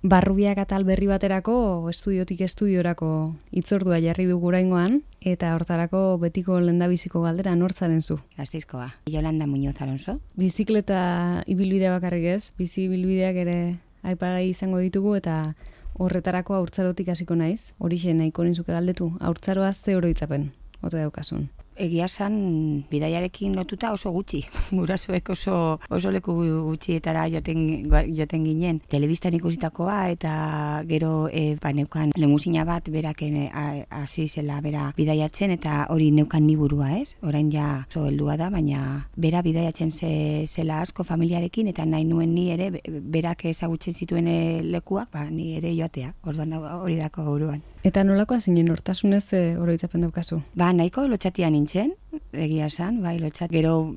Barrubiak atal berri baterako estudiotik estudiorako hitzordua jarri dugu oraingoan, eta hortarako betiko lehendabiziko galdera nortzaren zu? Gasteizkoa. Yolanda Muñoz Alonso. Bizikleta ibilbidea bakarrik ez, bizi ibilbideak ere aipagai izango ditugu eta horretarako haurtzarotik hasiko naiz. Horixe nahiko nizuke galdetu, haurtzaroaz ze oroitzapen, ote daukasun? Egia esan, bidaiarekin lotuta oso gutxi. Gurasoek oso leku gutxietara joten ginen. Telebistan ikusitakoa eta gero neukan lengusina bat berak hasi zela bera bidaiatzen eta hori neukan ni burua, ez? Orain ja oso heldua da, baina bera bidaiatzen zela asko familiarekin eta nahi nuen ni ere berak ezagutzen zituen lekuak, ni ere joatea. Orduan hori dako buruan. Eta nolakoa zinen hortasunez oroitzapen daukazu? Nahiko lotxatia nintzen, egia esan, lotxat. Gero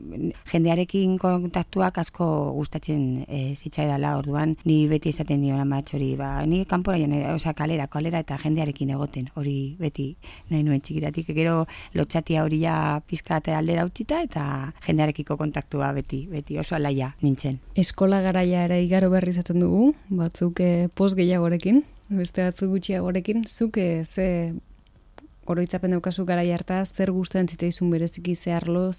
jendearekin kontaktuak asko gustatzen zitzaidala, orduan ni beti esaten nion amatxori, ni kanpora joan, kalera eta jendearekin egoten, hori beti nahi nuen txikitatik. Gero lotxatia hori ja pizkat aldera utzita eta jendearekiko kontaktua beti oso alaia nintzen. Eskola garaia ere igaro berri izaten dugu, batzuk post gehiagorekin, beste batzuk gutxiagorekin, zuk ze oroitzapen daukazu garai hartaz, zer gustatzen zitzaizun bereziki ze arlo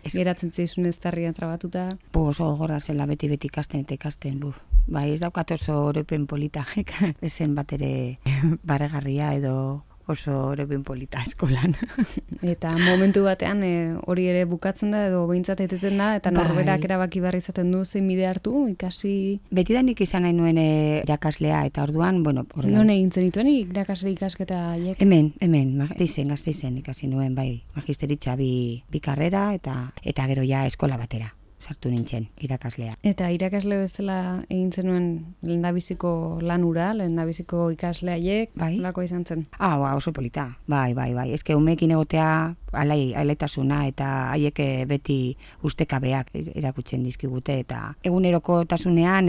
geratzen zaizun ez tarrian trabatuta? Oso gogorra zela beti ikasten eta ikasten, ez daukat oso oroipen polita, ezen bat ere barregarria edo oso oroipen polita eskolan. Eta momentu batean hori ere bukatzen da edo behintzat eteten da, eta norberak erabaki behar izaten du zein bide hartu, ikasi... Betidanik izan nahi nuen irakaslea, eta orduan, Non egin zenituen irakasle ikasketa haiek? Hemen, Gasteizen ikasi nuen, magisteritza bi karrera, eta gero ja eskola batera sartu nintzen irakaslea. Eta irakasle bezala egin zenuen lehendabiziko lanura, lehendabiziko ikasle haiek, nolako izan zen? Oso polita, bai. Ezke umeekin egotea alaitasuna eta haiek beti ustekabeak erakutzen dizkigute eta eguneroko tasunean,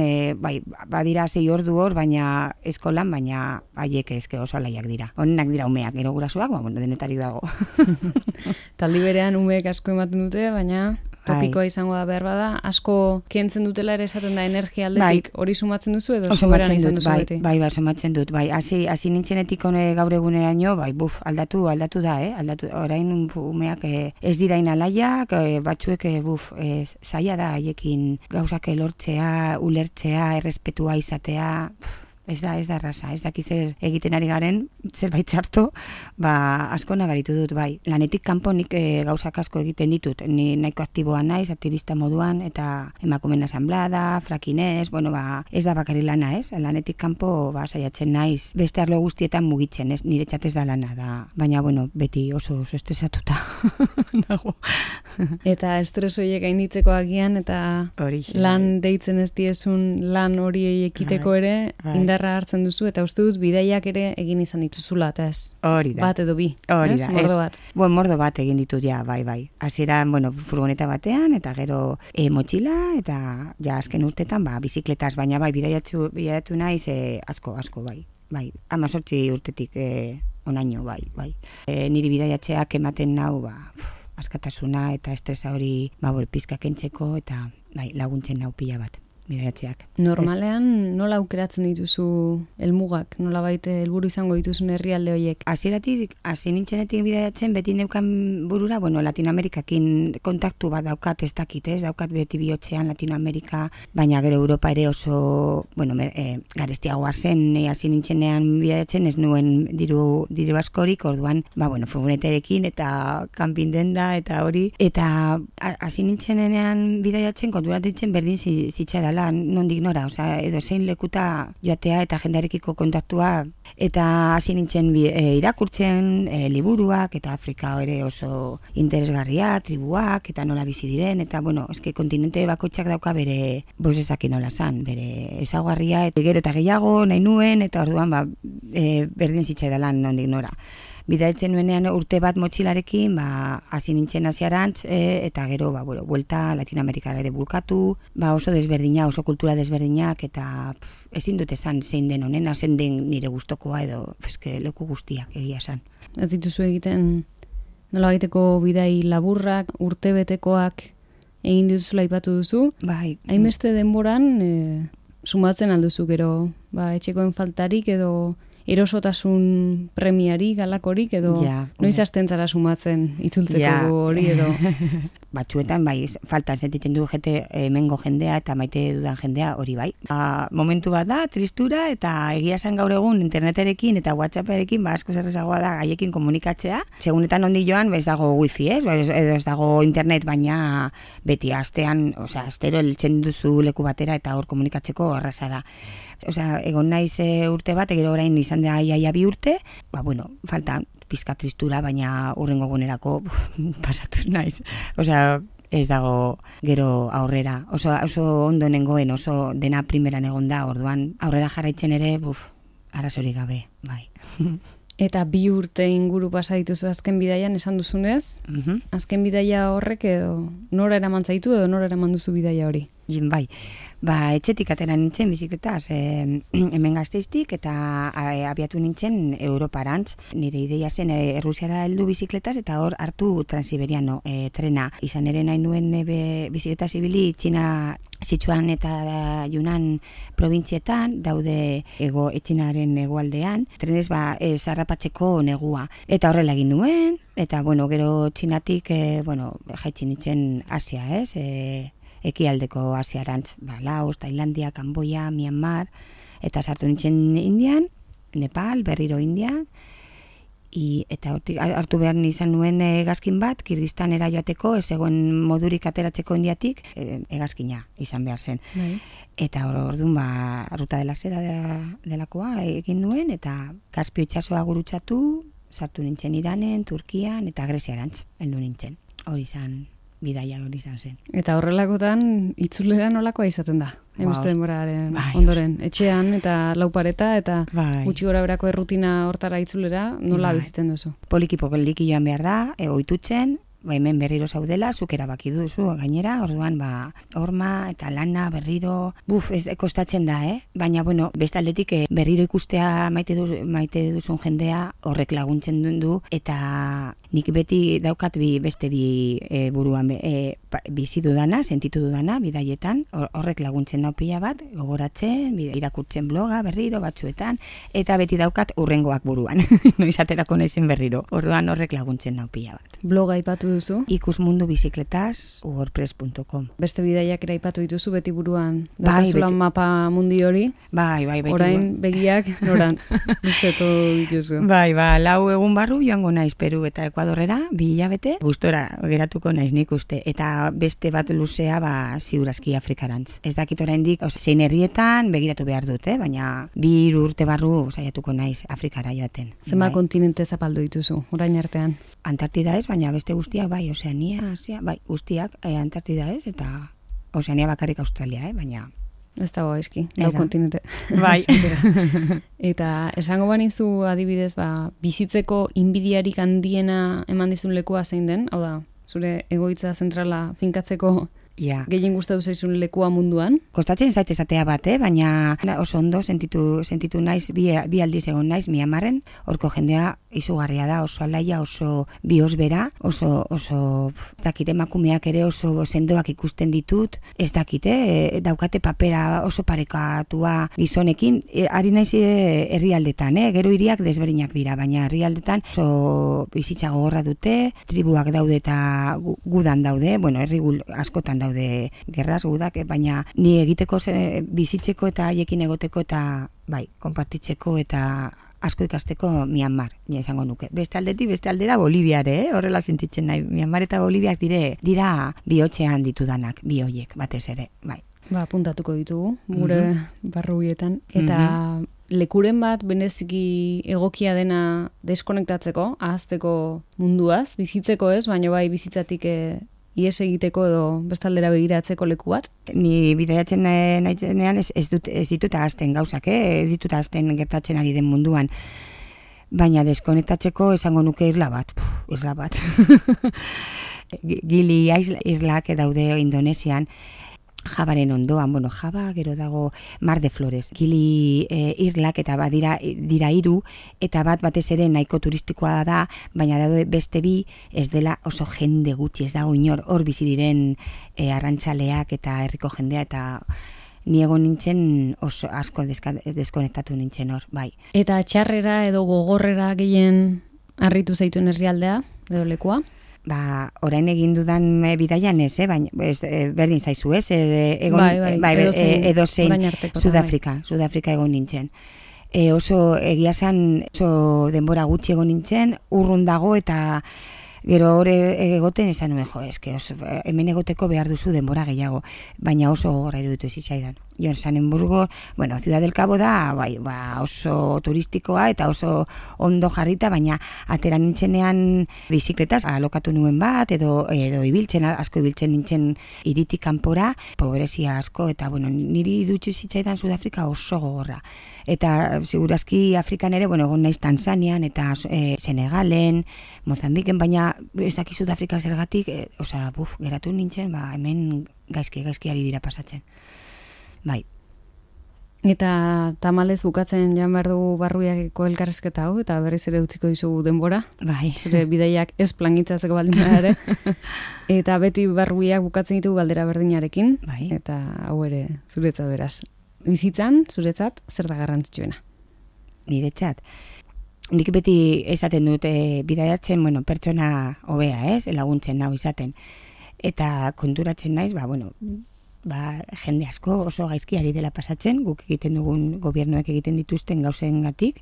badira 6 ordu hor, baina eskolan, baina haiek eske oso alaiak dira. Honenak dira umeak, gero gurasoak, denetarik dago. Taldi berean umeek asko ematen dute, baina... Topikoa izango da behar bada, asko kentzen dutela ere esaten da energia aldetik, hori sumatzen duzu edo soberan izan duzu beti? Sumatzen dut, hasi nintzenetik gaur eguneraino, aldatu da, orain umeak ez dirain alaiak, batzuek zaila da haiekin gauzak lortzea, ulertzea, errespetua izatea... Ez da erraza, ez daki zer egiten ari garen, zerbait txarto, asko nabaritu dut, Lanetik kanpo nik gauzak asko egiten ditut, ni nahiko aktiboa naiz, aktivista moduan, eta emakumen asamblada, frakinez, ez da bakari lana, ez? Lanetik kanpo saiatzen naiz, beste arlo guztietan mugitzen, ez? Nire txatez da lana da, baina, beti oso estresatuta nago. Eta estres horiek gainditzeko agian, eta lan deitzen ez diezun lan hori ekiteko ere, indarra hartzen duzu, eta uste dut bidaiak ere egin izan dituzula, eta ez? Hori da. Bat edo bi, ez? Mordo bat. Mordo bat egin ditut, bai. Hasieran, furgoneta batean, eta gero motxila, eta azken urtetan, bizikletaz, baina bidaiatu naiz asko, bai. 18 urtetik onaino, bai. Niri bidaiatzeak ematen nau, askatasuna eta estresa hori pizka kentzeko, eta laguntzen nau pila bat. Bidaiatzeak. Normalean nola aukeratzen dituzu helmugak, nola baita helburu izango dituzun herrialde horiek? Hasieratik, hasi nintzenetik bidaiatzen, beti neukan burura, Latinoamerikakin kontaktu bat daukat ez dakit, daukat beti bihotzean Latinoamerika, baina gero Europa ere oso, garestiagoa zen, hasi nintzenean bidaiatzen, ez nuen diru askorik, orduan, furgoneterekin eta kanpin denda eta hori, eta hasi nintzenean bidaiatzen, konturatzen berdin zitzaidala, nondik nora, edo zein lekuta joatea eta jendarekiko kontaktua, eta hasi nintzen irakurtzen liburuak, eta Afrika ere oso interesgarria, tribuak, eta nola bizi diren, eta eske kontinente bakoitzak dauka bere bozezakin nola zan, bere ezaugarria, eta gero eta gehiago nahi nuen, eta orduan berdin zitzaidalan nondik nora. Bidaitzen nuenean urte bat motxilarekin, hasi nintzen hasiarantz, eta gero, buelta Latinoamerikara ere bulkatu, oso desberdina, oso kultura desberdinak, eta ezin dut esan zein den honena, zein den nire gustokoa edo, leku guztiak egia esan. Ez dituzu egiten nola egiteko bidai laburrak, urtebetekoak egin dituzula aipatu duzu? Bai. Hainbeste denboran sumatzen alduzu gero, etxekoen faltarik edo erosotasun premiari galakorik edo noiz hasten zara sumatzen itzultzeko hori edo batzuetan bai faltan sentitzen du hemengo jendea eta maite dudan jendea hori bai. Momentu bat da tristura eta egia esan gaur egun interneterekin eta WhatsApperekin asko errazagoa da gaiekin komunikatzea. Segunetan ondi joan ez dago wifi, edo ez dago internet, baina beti astean, astero heltzen duzu leku batera eta hor komunikatzeko erraza da. Egon naiz urte bat, gero orain izan da iaia 2 urte, falta pizka tristura, baina hurrengo egunerako pasatuz naiz. Ez dago gero aurrera. Oso ondo nengoen, oso dena primeran egon da, orduan aurrera jarraitzen ere, arazorik gabe, bai. Eta 2 urte inguru pasa dituzu azken bidaian esan duzunez, azken bidaia horrek edo nora eraman zaitu edo nora eraman duzu bidaia hori? Bai. Etxetik atera nintzen bizikletaz, hemen Gasteiztik eta abiatu nintzen Europarantz. Nire ideia zen Errusiara heldu bizikletaz eta hor hartu Transiberiano trena. Izan ere nahi nuen bizikletaz ibili Txina Sichuan eta Yunnan probintzietan, daude Txinaren hegoaldean, trenez zarrapatzeko negua. Eta horrela egin nuen, eta gero Txinatik jaitsi nintzen Asia, ekialdeko Asiarantz, Laos, Tailandia, Kamboia, Myanmar, eta sartu nintzen Indian, Nepal, berriro Indian, eta hartu behar izan nuen hegazkin bat, Kirgistanera joateko, ez egon modurik ateratzeko Indiatik, hegazkina izan behar zen. Eta orduan Ruta de la Seda delakoa egin nuen, eta Kaspio itsasoa gurutzatu, sartu nintzen Iranen, Turkian, eta Greziarantz, heldu nintzen. Hori bidaia hori izan zen. Eta horrelakotan itzulera nolakoa izaten da? Emuzte denboraren ondoren. Etxean eta laupareta eta gutxi gora berako errutina hortara itzulera nola bizitzen duzu? Poliki joan behar da, oitutzen, hemen berriro zaudela, zuk erabaki duzu gainera, orduan horma eta lana berriro, ez kostatzen da, baina bestaldetik berriro ikustea maite duzun jendea horrek laguntzen du, eta nik beti daukat beste bi buruan bizi dudana, sentitu dudana, bidaietan, horrek laguntzen nau pila bat, gogoratzen, irakurtzen bloga berriro batzuetan, eta beti daukat hurrengoak buruan, noiz aterako naizen berriro, orduan horrek laguntzen nau pila bat. Bloga aipatu duzu? ikusmundubizikletaz.wordpress.com. Beste bidaiak ere aipatu dituzu beti buruan, datazulan mapa mundi hori? Bai. Orain begiak norantz, luzetu dituzu. Bai, 4 egun barru joango naiz Peru eta Ekuadorrera, 2 hilabete, gustora geratuko naiz nik uste, eta beste bat luzea ziurazki Afrikarantz. Ez dakit oraindik, zein herrietan begiratu behar dut, baina 2 urte barru saiatuko naiz Afrikara joaten. Zenba kontinente zapaldu dituzu, orain artean? Antartida ez, baina beste guztiak Oceania, Asia, guztiak Antartida ez, eta Oceania bakarrik Australia, baina ez dago eski, kontinente. Bai. Eta esango banizu adibidez, bizitzeko inbidiarik handiena eman dizun lekua zein den? Hau da, zure egoitza zentrala finkatzeko gehien gustatu zaizun lekua munduan? Kostatzen zait esatea bat, baina oso ondo sentitu naiz, bi aldiz egon naiz Myanmarren, horko jendea izugarria da, oso alaia, oso biosbera, oso ez dakit, emakumeak ere oso sendoak ikusten ditut, ez dakit, daukate papera oso parekatua gizonekin, ari naiz herrialdetan, gero hiriak desberdinak dira, baina herrialdetan oso bizitza gogorra dute, tribuak daude eta gudan daude, herri askotan daude gerraz gudak, baina ni egiteko bizitzeko eta haiekin egoteko eta konpartitzeko eta asko ikasteko Myanmar, izango nuke. Beste aldera Boliviare, horrela sentitzen nahi. Myanmar eta Boliviak dira bihotzean ditudanak, bi hoiek batez ere, bai. Puntatuko ditugu, gure barruietan. Eta lekuren bat bereziki egokia dena deskonektatzeko, ahazteko munduaz, bizitzeko ez, baina bai bizitzatik ies egiteko edo bestaldera begiratzeko leku bat? Ni bidaiatzen nahitzenean ez ditut ahazten gauzak, ez ditut ahazten gertatzen ari den munduan. Baina deskonektatzeko esango nuke irla bat. Gili irlak daude Indonesian, Javaren ondoan, Java, gero dago Mar de Flores. Gili irlak eta dira 3, eta batez ere nahiko turistikoa da, baina daude beste 2, ez dela oso jende gutxi, ez dago inor hor bizi diren arrantzaleak eta herriko jendea, eta ni egon nintzen oso asko deskonektatu nintzen hor, bai. Eta txarrera edo gogorrera gehien harritu zaituen herrialdea, edo lekua? Orain egin dudan bidaian ez, baina berdin zaizu ez, edozein Sudafrika egon nintzen. Oso egia zen, oso denbora gutxi egon nintzen, urrun dago eta gero hori egoten esan nuen, hemen egoteko behar duzu denbora gehiago, baina oso gogorra iruditu zitzaidan. Jon Sanenburgo, Ciudad del Cabo da, oso turistikoa eta oso ondo jarrita, baina atera nintzenean bizikletaz alokatu nuen bat, edo asko ibiltzen nintzen iritik kanpora, pobrezia asko, eta niri iruditu zitzaidan Sudafrika oso gogorra. Eta segurazki Afrikan ere, egon naiz Tanzanian eta Senegalen, Mozambiken, baina ez daki Sudafrika zergatik, geratu nintzen, hemen gaizki ari dira pasatzen. Bai. Eta tamalez bukatzen joan behar dugu Barruiako elkarrezketa hau, eta berriz ere utziko dizugu denbora. Bai. Zure bidaiak ez plangitzatzeko baldin ere. Eta beti Barruiak bukatzen ditugu galdera berdinarekin. Bai. Eta hau ere zuretzat beraz. Bizitzan, zuretzat, zer da garrantzitsuena? Niretzat. Nik beti esaten dut bidaiatzen, pertsona hobea, laguntzen nau izaten. Eta konturatzen naiz, jende asko oso gaizki ari dela pasatzen, guk egiten dugun gobernuek egiten dituzten gauzengatik,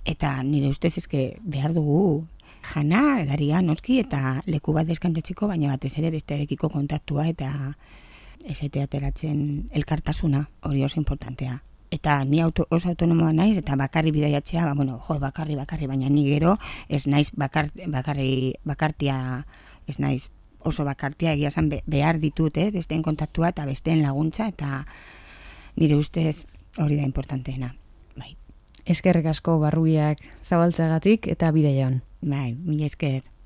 eta nire ustez behar dugu jana, edaria, noski, eta leku bat deskantatzeko, baina batez ere bestearekiko kontaktua eta esate ateratzen elkartasuna, hori oso importantea. Eta ni oso autonomoa naiz, eta bakarri bidaiatzea, bakarri, baina ni gero ez naiz bakartia, ez naiz oso bakartia, egia esan behar ditut, besteen kontaktua eta besteen laguntza, eta nire ustez hori da importanteena. Bai. Eskerrik asko Barruiak zabaltzeagatik eta bidaia on. Bai, mila esker.